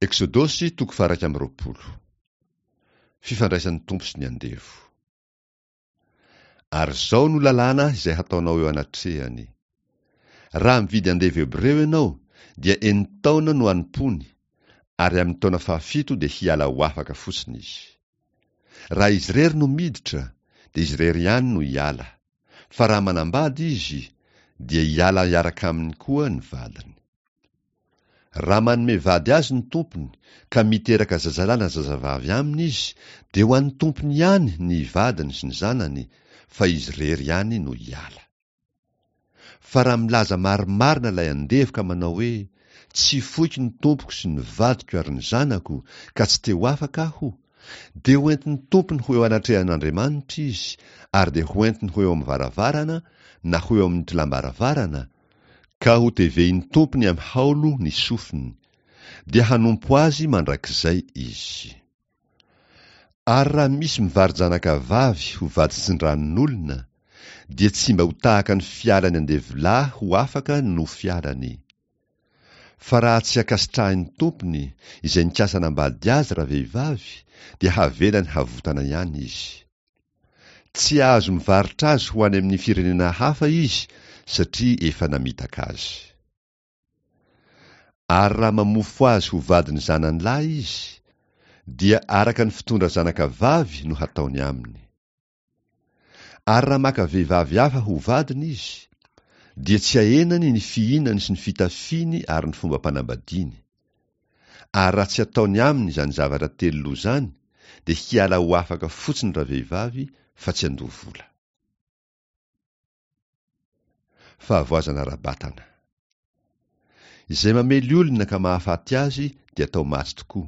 Eksodosy toko faha-21. Fifandraisan'ny Tompo sy ny andevo. Ary izao no lalàna izay hataonao eo anatrehany. Raha mividy andevo hebreo ianao, dia enin-taona no hanompoany, ary amin'ny taona fahafito dia hiala ho afaka fotsiny izy. Raha izy irery no miditra, dia izy irery ihany no hiala. Fa raha manambady izy, dia hiala hiaraka aminy koa ny vadiny. Raha manome vady azy ny tompony, ka miteraka zazalahy na zazavavy aminy izy, dia ho an'ny tompony ihany ny vadiny sy ny zanany, fa izy irery ihany no hiala. Fa raha milaza marimarina ilay andevo ka manao hoe, Tsy foiko ny tompoko sy ny vadiko ary ny zanako, ka tsy te ho afaka aho, dia ho entin'ny tompony ho eo anatrehan'Andriamanitra izy, ary dia ho entiny ho eo amin'ny varavarana na ho eo amin'ny tolam-baravarana, ka ho tevehin'ny tompony amin'ny haolo ny sofiny, dia hanompo azy mandrakizay izy. Ary raha misy mivaro-janaka vavy ho vady tsindranon'olona, dia tsy mba ho tahaka ny fialan'ny andevolahy ho afaka no fialany. Fa raha tsy ankasitrahin'ny tompony izay nikasa hanambady azy ravehivavy, dia havelany havotana ihany izy. Tsy azo mivarotra azy ho any amin'ny firenena hafa izy satria efa namitaka azy. Ary raha mamofo azy ho vadin'ny zanany lahy izy, dia araka ny fitondra zanaka vavy no hataony aminy. Ary raha maka vehivavy hafa ho vadiny izy, dia tsy ahenany ny fihinany sy ny fitafiany ary ny fombam-panambadiany. Ary raha tsy ataony aminy izany zavatra telo loha izany, dia hiala ho afaka fotsiny ravehivavy fa tsy handoa vola. Fahavoazana ara-batana. Izay mamely olona ka mahafaty azy dia atao maty tokoa.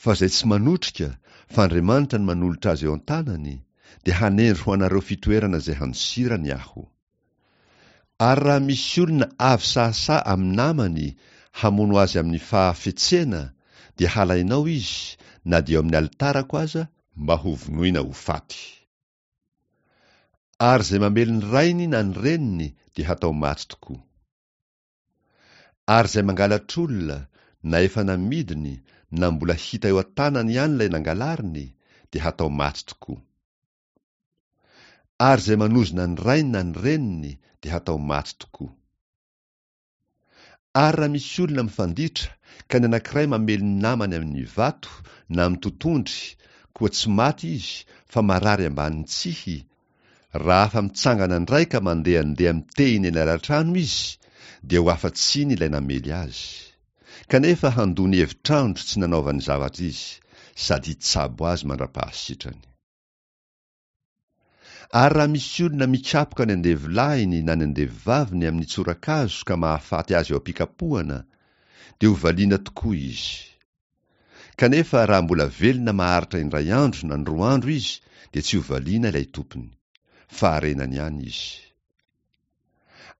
Fa izay tsy manotrika, fa Andriamanitra no manolotra azy eo an-tanany, dia hanendry ho anareo fitoerana izay handosirany Aho. Ary raha misy olona avy sahasaha amin'ny namany hamono azy amin'ny fahafetsena, dia halainao izy, na dia eo amin'ny alitarako aza, mba hovonoina ho faty. Ary izay mamely ny rainy na ny reniny dia hatao maty tokoa. Ary izay mangalatr'olona, na efa namidiny na mbola hita eo an-tanany ihany ilay nangalariny, dia hatao maty tokoa. Ary izay manozona ny rainy na ny reniny dia hatao maty tokoa. Ary raha misy olona mifanditra ka ny anankiray mamely ny namany amin' ny vato na amin' ny totondry, koa tsy maty izy fa marary ambanin' ny tsihy, raha afa-mitsangana indray ka mandehandeha mitehina eny alatrano izy, dia ho afa-tsiny ilay namely azy. Kanefa handoa ny hevitr'andro tsy nanaovany zavatra izy, sady hitsabo azy mandra-pahasitrany. Ary raha misy olona mikapoka ny andevolahiny na ny andevovaviny amin'ny tsorakazo ka mahafaty azy eo am-pikapohana, dia ho valiana tokoa izy. Kanefa raha mbola velona maharitra indray andro na ny roa andro izy, dia tsy ho valiana ilay tompony. Faharenany ihany izy.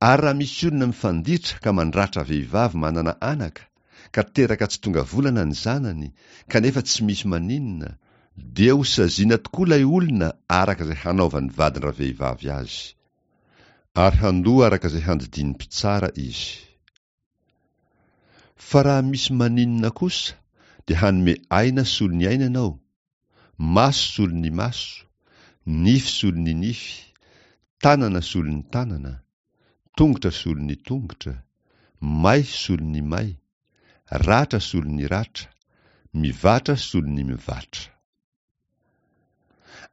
Ary raha misy olona mifanditra ka mandratra vehivavy manana anaka, ka teraka tsy tonga volana ny zanany, kanefa tsy misy maninona, dia ho saziana tokoa ilay olona araka izay hanaovan'ny vadin-dravehivavy azy. Ary handoa araka izay handidian'ny mpitsara izy. Fa raha misy maninona kosa dia hanome aina solon'ny aina ianao, maso solon'ny maso, nify solon'ny nify, tanana solon'ny tanana, tongotra solon'ny tongotra, may solon'ny may, ratra solon'ny ratra, mivatra solon'ny mivatra.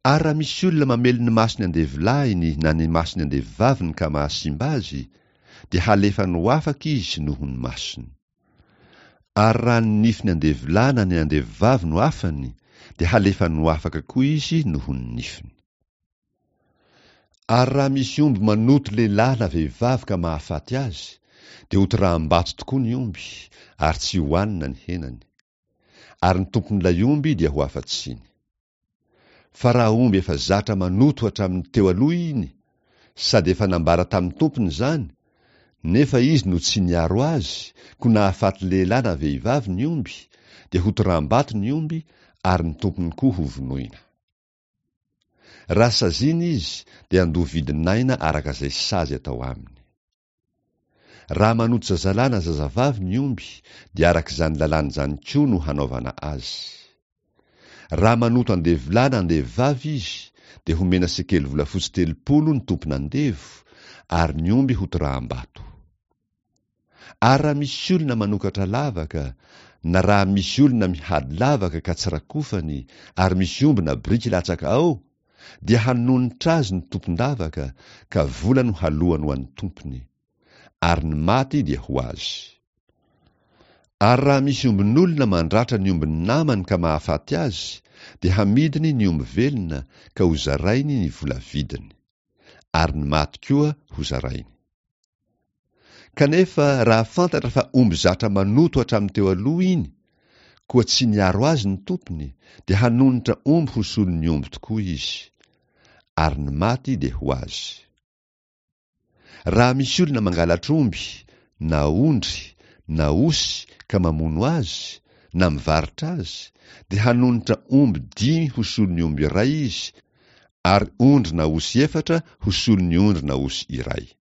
Ary raha misy olona mamely ny mason'ny andevolahiny na ny mason'ny andevovaviny ka mahasimba azy, dia halefany ho afaka izy noho ny masony. Ary raha ny nifin'ny andevolahy na ny andevovavy no afany, dia halefany ho afaka koa izy noho ny nifiny. Ary raha misy omby manoto lehilahy na vehivavy ka mahafaty azy, dia hotoraham-bato tokoa ny omby, ary tsy hohanina ny henany. Ary ny tompon'ilay omby dia ho afa-tsiny. Fa raha omby efa zatra manoto hatramin'ny teo aloha iny, sady efa nambara tamin'ny tompony izany, nefa izy no tsy niaro azy, koa nahafaty lehilahy na vehivavy ny omby, dia hotoraham-bato ny omby ary ny tompony koa hovonoina. Raha saziana izy, dia handoa vidin'aina araka izay sazy atao aminy. Raha manoto zazalahy na zazavavy ny omby, dia araka izany lalàna izany koa no hanaovana azy. Raha manoto andevolahy na andevovavy izy, dia homena sekely volafotsy 30 ny tompon'andevo, ary ny omby hotoraham-bato. Ary raha misy olona manokatra lavaka, na raha misy olona mihady lavaka ka tsy rakofany, ary misy omby na biriky latsaka ao, dia hanonitra azy ny tompon-davaka, ka vola no halohany ho an'ny tompony. Ary ny maty dia ho azy. Ary raha misy ombin'olona mandratra ny ombin'ny namany ka mahafaty azy, dia hamidiny ny omby velona ka hozarainy ny vola vidiny. Ary ny maty koa hozarainy. Kanefa raha fantatra fa omby zatra manoto hatramin'ny teo aloha iny, koa tsy niaro azy ny tompony, dia hanonitra omby ho solon'ny omby tokoa izy. Ary ny maty dia ho azy. Raha misy olona mangalatra omby, na ondry, na osy ka mamono azy, na mivarotra azy, dia hanonitra omby dimy ho solon'ny omby iray izy, ary ondry na osy efatra ho solon'ny ondry na osy iray.